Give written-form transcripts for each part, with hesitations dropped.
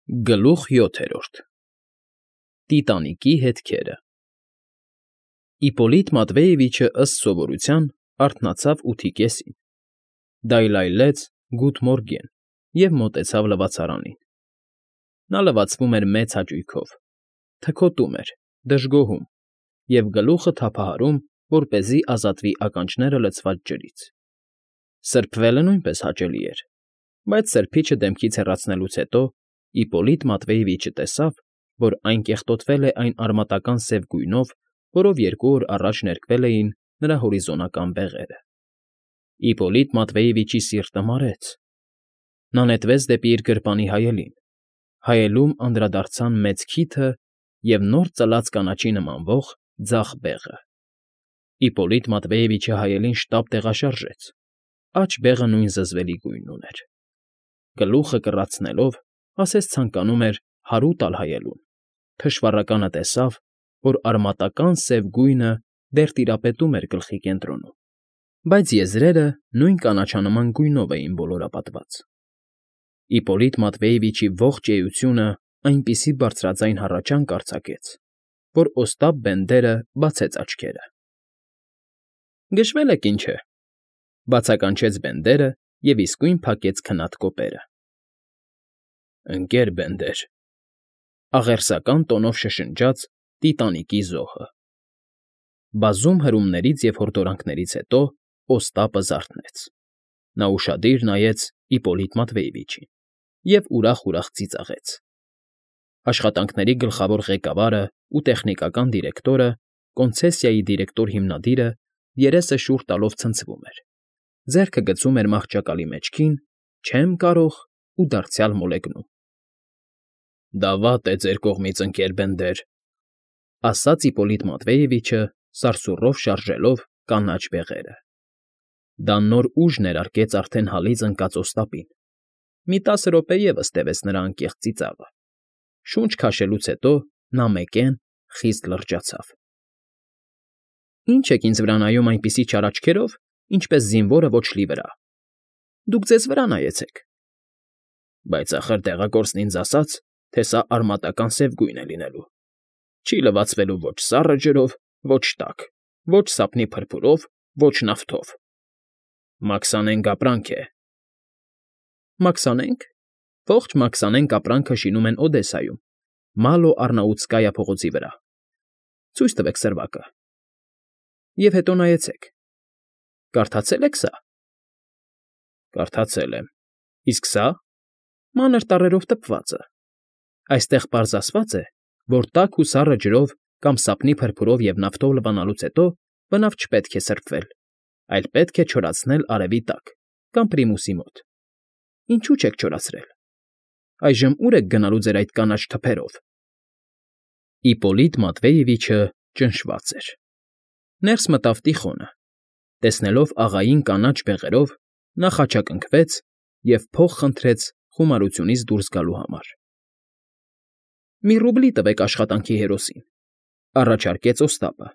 Գլուխ 7 Տիտանիկի հետքերը Իպոլիտ Մատվեևիչը ըստ սովորության արթնացավ 8:30, դայլայլեց «Գութ մորգեն» և մոտեցավ լվացարանին. նա լվացվում էր մեծ հաճույքով, թքոտում էր, դժգոհում և գլուխը թափահարում, որպեսզի ազատվի ականջները լցված ջրից. սրբվելը նույնպես հաճելի էր, բայց սրբիչը դեմքից հեռացնելուց հետո Իպոլիտ Մատվեևիչը տեսավ, որ այն կեղտոտվել է այն արմատական սև գույնով, որով 2 օր առաջ ներկվել էին նրա հորիզոնական բեղերը։ Իպոլիտ Մատվեևիչի սիրտը մարեց։ Նա նետվեց դեպի իր գրպանի հայելին, հայելում անդրադարձան մեծ քիթը և նոր ծլած կանաչի նմանվող ձախ բեղը։ Իպոլիտ Մատվեևիչը հայելին շտապ տեղաշարժեց, աջ բեղը նույն զզվելի գույնն ուներ։ Գլուխը կռացնելով, ասես ցանկանում էր հարու տալ հայելուն, թշվառականը տեսավ, որ արմատական սև գույնը դեռ տիրապետում էր գլխի կենտրոնում, բայց եզրերը նույն կանաչանման գույնով էին ոլորապատված։ Իպոլիտ Մատվեևիչի ողջ էությունը այնպիսի բարձրաձայն հառաչանք արձակեց, որ Օստապ Բենդերը բացեց աչքերը։ ֊ Գժվել եք, ինչ է,֊ բացականչեց Բենդերը և իսկույն փակեց քնած կոպերը։ ֊ Ընկեր Բենդեր,֊ աղերսական տոնով շշնջաց Տիտանիկի զոհը։ Բազում հրումներից և հորդորանքներից հետո Օստապը զարթնեց։ Նա ուշադիր նայեց Իպոլիտ Մատվեևիչին և ուրախ֊ուրախ ծիծաղեց։ Աշխատանքների գլխավոր ղեկավարը ու տեխնիկական դիրեկտորը, կոնցեսիայի դիրեկտոր հիմնադիրը երեսը շուռ տալով ցնցվում էր, ձեռքը գցում էր մահճակալի մեջքին, չեմ կարող ու դարձյալ մոլեգնում։ ֊ Դա վատ է ձեր կողմից, ընկեր Բենդեր,֊ ասաց Իպոլիտ Մատվեևիչը, սարսուռով շարժելով կանաչ բեղերը։ Դա նոր ուժ ներարկեց արդեն հալից ընկած Օստապին։ Մի 10 րոպե ևս տևեց նրա անկեղծ ծիծաղը։ Շունչ քաշելուց հետո նա մեկեն խիստ լրջացավ։ ֊ Ի՞նչ եք ինձ վրա նայում այնպիսի չար աչքերով, ինչպես զինվորը ոչլի վրա։ Դուք ձեզ վրա նայեցեք։ ֊ Բայց ախր տեղակորցն ինձ ասաց, թե սա արմատական սև գույն է լինելու, չի լվացվելու ոչ սառը ջրով, ոչ տաք, ոչ սափնի փրփուրով, ոչ նավթով։ Մաքսանենգ ապրանք է։ ֊ Մաքսանե՞նգ։ Ողջ Մաքսանենգ ապրանքը շինում են Օդեսայում, Մալո֊Առնաուտսկայա փողոցի վրա։ Ցույց տվեք սրվակը։ Եվ հետո նայեցեք։ Կարդացե՞լ եք սա։ ֊ Կարդացել եմ։ Իսկ սա… մանր տառերով տպվածը։ Այստեղ պարզ ասված է, որ տաք ու սառը ջրով կամ սափնի փրփուրով և նավթով լվանալուց հետո բնավ չպետք է սրբվել, այլ պետք է չորացնել արևի տակ կամ պրիմուսի մոտ։ Ինչու՞ չեք չորացրել։ Այժմ ո՞ւր եք գնալու ձեր այդ կանաչ թփերով։ Իպոլիտ Մատվեևիչը ճնշված էր։ Ներս մտավ Տիխոնը։ Տեսնելով աղային կանաչ բեղերով, նա խաչակնքվեց և փող խնդրեց խոմարությունից դուրս գալու համար։ ֊ Մի ռուբլի տվեք աշխատանքի հերոսին,֊ առաջարկեց Օստապը,֊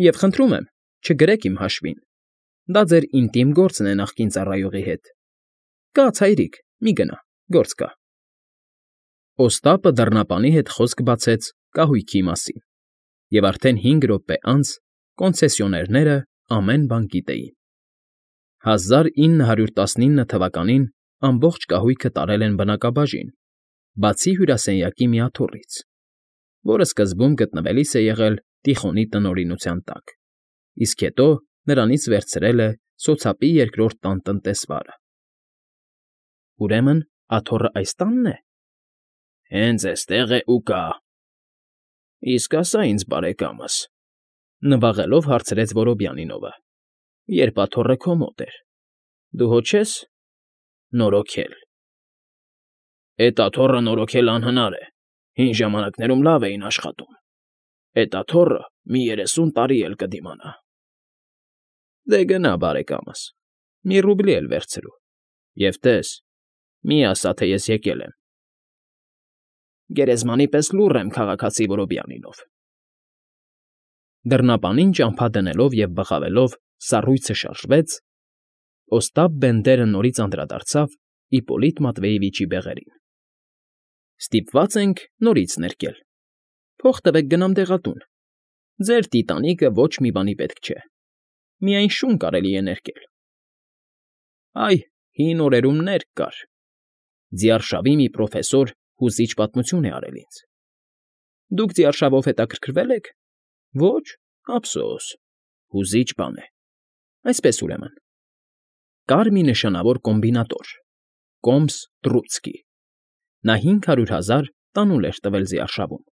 և խնդրում եմ, չգրեք իմ հաշվին, դա ձեր ինտիմ գործն է նախկին ծառայողի հետ։ Կաց, հայրիկ, մի գնա, գործ կա։ Օստապը դռնապանի հետ խոսք բացեց կահույքի մասին, և արդեն 5 րոպե անց կոնցեսիոներները ամեն բան գիտեին։ 1919 թվականին ամբողջ կահույքը տարել են բնակաբաժին, բացի հյուրասենյակի մի աթոռից, որը սկզբում գտնվելիս է եղել Տիխոնի տնօրինության տակ, իսկ հետո նրանից վերցրել է սոցապի 2-րդ տան տնտեսվարը։ ֊ Ուրեմն աթոռը այս տա՞նն է։ ֊ Հենց էստեղ է ու կա։ ֊ Իսկ ասա ինձ, բարեկամս,֊ նվաղելով հարցրեց Որոբյանինովը,֊ երբ աթոռը քո մոտ էր, դու հո չես… նորոգել։ ֊ Էդ աթոռը նորոգել անհնար է, հին ժամանակներում լավ էին աշխատում։ Էդ աթոռը մի 30 տարի էլ կդիմանա։ ֊ Դե գնա, բարեկամս, մի ռուբլի էլ վերցրու, և տես, մի ասա, թե ես եկել եմ։ ֊ Գերեզմանի պես լուռ եմ, քաղաքացի Որոբյանինով։ Դռնապանին ճամփա դնելով և բղավելով սառույցը շարժվեց, Օստապ Բենդերը նորից անդրադարձավ Իպոլիտ Մատվեևիչի բեղերին։ Ստիպված ենք նորից ներկել։ Փող տվեք գնամ դեղատուն։ Ձեր տիտանիկը ոչ մի բանի պետք չէ։ Միայն շուն կարելի է ներկել։ Այ, հին օրերում ներք կար։ Ձիարշավի մի պրոֆեսոր հուզիչ պատմություն է արել ինձ։ Դուք ձիարշավով հետաքրքրվել եք։ Ոչ, ափսոս, հուզիչ բան է։ Այսպես ուրեմն։ Կար մի նշանավոր կոմբինատոր, Կոմս Տրուցկի։ Նա 500,000 տանուլ էր տվել ձիարշավում։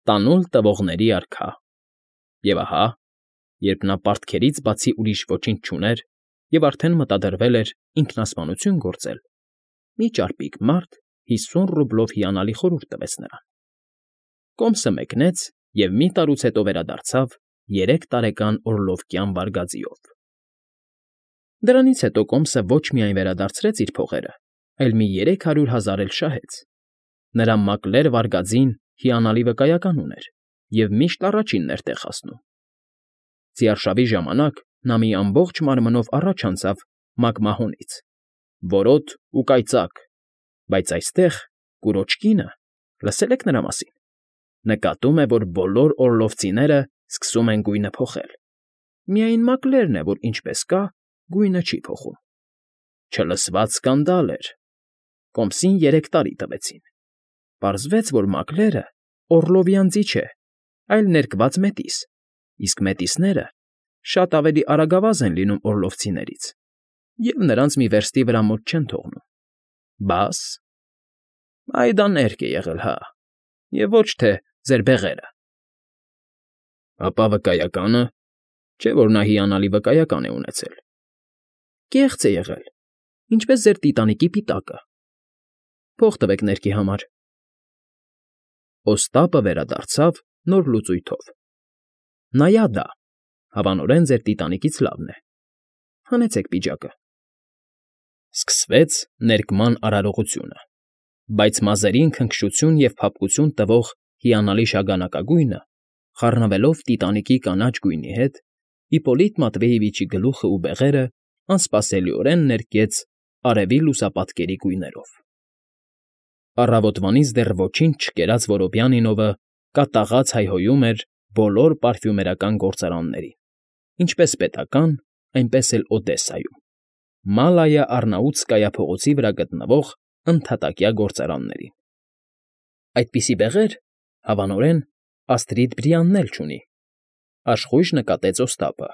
Տանուլ տվողների արքա։ Եվ ահա, երբ նա պարտքերից բացի ուրիշ ոչինչ չուներ և արդեն մտադրվել էր ինքնասպանություն գործել, մի ճարպիկ մարդ 50 ռուբլով հիանալի խորհուրդ տվեց նրան։ Կոմսը մեկնեց և մի տարուց հետո վերադարձավ 3 տարեկան օրլովկյան վարգաձիով։ Դրանից հետո Կոմսը ոչ միայն վերադարձրեց իր փողերը, այլ մի 300,000 էլ շահեց։ Նրա մակլեր վարգաձին հիանալի վկայական ուներ և միշտ առաջինն էր տեղ հասնում։ Ձիարշավի ժամանակ նա մի ամբողջ մարմնով առաջ անցավ մակմահոնից, որոտ ու կայծակ, բայց այստեղ կուրոջ կինը, լսել եք նրա մասին, նկատում է, որ բոլոր օրլովցիները սկսում են գույնը փոխել։ Միայն մակլերն է, որ ինչպես կա, գույնը չի փոխում։ Չլսված սկանդալ էր։ Կոմսին 3 տարի տվեցին։ Պարզվեց, որ մակլերը Օրլովյան ձի չէ, այլ ներկված մետիս, իսկ մետիսները շատ ավելի արագավազ են լինում օրլովցիներից և նրանց մի վերստի վրա մոտ չեն թողնում։ Բաս… Այ դա ներք է եղել, հա, և ոչ թե ձեր բեղերը։ Ապա վկայակա՞նը, չէ՞ որ նա հիանալի վկայական է ունեցել։ Կեղծ է եղել, ինչպես ձեր տիտանիկի պիտակը։ Փող տվեք ներքի համար։ Օստապը վերադարձավ նոր լուծույթով։ Նայադա, հավանորեն ձեր տիտանիկից լավն է։ Հանեցեք պիջակը։ Սկսվեց ներկման արարողությունը, բայց մազերին քնքշություն և փափկություն տվող հիանալի շագանակագույնը, խառնվելով տիտանիկի կանաչ գույնի հետ, Իպոլիտ Մատվեևիչի գլուխը ու բեղերը անսպասելիորեն ներկեց արևի լուսապատկերի գույներով։ Առավոտվանից դեռ ոչինչ չկերած Որոբյանինովը կատաղած հայհոյում էր բոլոր պարֆյումերական գործարաններին, ինչպես պետական, այնպես էլ Օդեսայում, Մալայա Առնաուտսկայա փողոցի վրա գտնվող ընդհատակյա գործարաններին։ Այդպիսի բեղեր, հավանորեն, Աստրիդ Բրիանն էլ չունի, աշխույժ նկատեց Օստապը,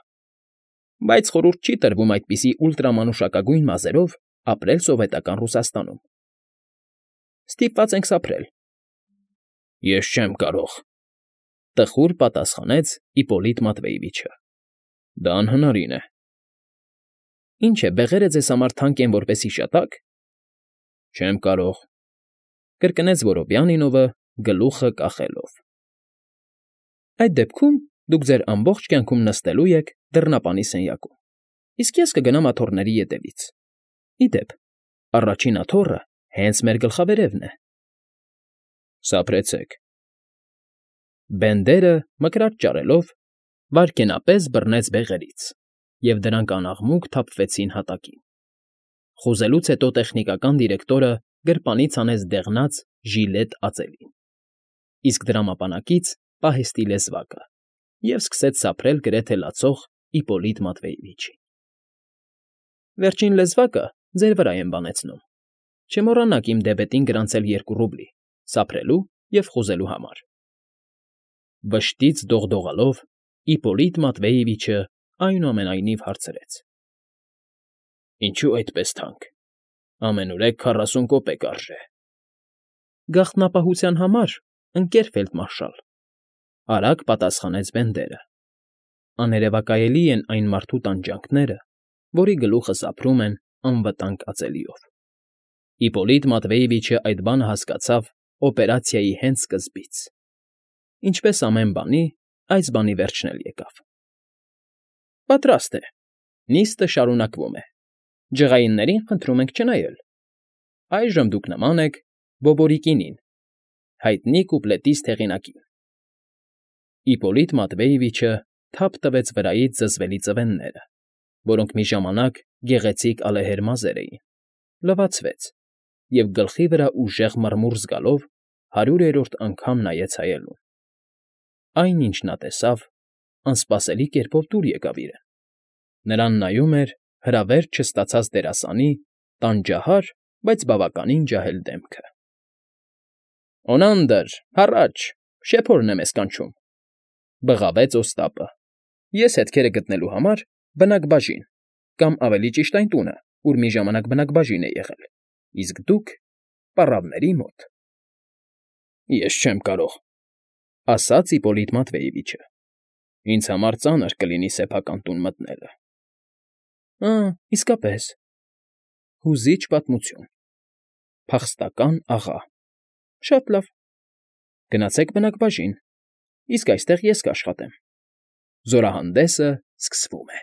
բայց խորհուրդ չի տրվում այդպիսի ուլտրամանուշակագույն մազերով ապրել սովետական Ռուսաստանում։ Ստիպված ենք սափրել։ Ես չեմ կարող, տխուր պատասխանեց Իպոլիտ Մատվեևիչը։ Դա անհնարին է։ Ինչ է, բեղերը ձեզ համար թանկ են որպես հիշատակ։ Չեմ կարող, կրկնեց Որոբյանինովը գլուխը կախելով։ Այդ դեպքում դուք ձեր ամբողջ կյանքում նստելու եք դռնապանի սենյակում, իսկ ես կգնամ աթոռների ետևից։ Ի դեպ, առաջին աթոռը հենց մեր գլխավերևն է։ Սափրեցեք։ Բենդերը, մկրատ ճարելով, վայրկենապես բռնեց բեղերից, և դրանք անաղմուկ թափվեցին հատակին։ Խոզելուց հետո տեխնիկական դիրեկտորը գրպանից հանեց դեղնած ժիլետ ածելին, իսկ դրամապանակից պահեստի լեզվակը և սկսեց սափրել գրեթե լացող Իպոլիտ Մատվեևիչին։ Վերջին լեզվակը ձեր վրա եմ բանեցնում։ Չմոռանաք իմ դեբետին գրանցել 2 ռուբլի սափրելու և խոզելու համար։ Վշտից դողդողալով Իպոլիտ Մատվեևիչը այնուամենայնիվ հարցրեց. Ինչու այդպես թանկ։ Ամենուրեք 40 կոպեկ արժե։ Գաղտնապահության համար, ընկեր ֆելդմարշալ, արագ պատասխանեց Բենդերը։ Աներևակայելի են այն մարդու տանջանքները, որի գլուխը սափրում են անվտանգ ածելիով։ Իպոլիտ Մատվեևիչը այդ բանը հասկացավ օպերացիայի հենց սկզբից։ Ինչպես ամեն բանի, այս բանի վերջն էլ եկավ։ Պատրաստ է։ Նիստը շարունակվում է։ Ջղայիններին խնդրում ենք չնայել։ Այժմ դուք նման եք Բոբորիկինին, հայտնի կուպլետիստ հեղինակին։ Իպոլիտ Մատվեևիչը թափ տվեց վրայից զզվելի ծվենները, որոնք մի ժամանակ գեղեցիկ ալեհեր մազեր էին, լվացվեց և գլխի վրա ուժեղ մռմուռ զգալով 100-րդ անգամ նայեց հայելուն։ Այն, ինչ նա տեսավ, անսպասելի կերպով դուր եկավ իրեն. նրան նայում էր հրավերջ չստացած դերասանի տանջահար, բայց բավականին ջահել դեմքը։ «Օնանդր, հառաչ, շեփորն է մեզ կանչում,֊ բղավեց Օստապը։֊ Ես հետքերը գտնելու համար բնակբաժին, կամ ավելի ճիշտ այն տունը, ուր մի ժամանակ բնակբաժին է եղել, իսկ դուք՝ պառավների մոտ»։ «Ես չեմ կարող,֊ ասաց Իպոլիտ Մատվեևիչը։֊ Ինձ համար ծանր կլինի սեփական տուն մտնելը։ ֊ Իսկապես, հուզիչ պատմություն, փախստական աղա, շատ լավ, գնացեք բնակբաժին, իսկ այստեղ ես կաշխատեմ։ Զորահանդեսը սկսվում է»։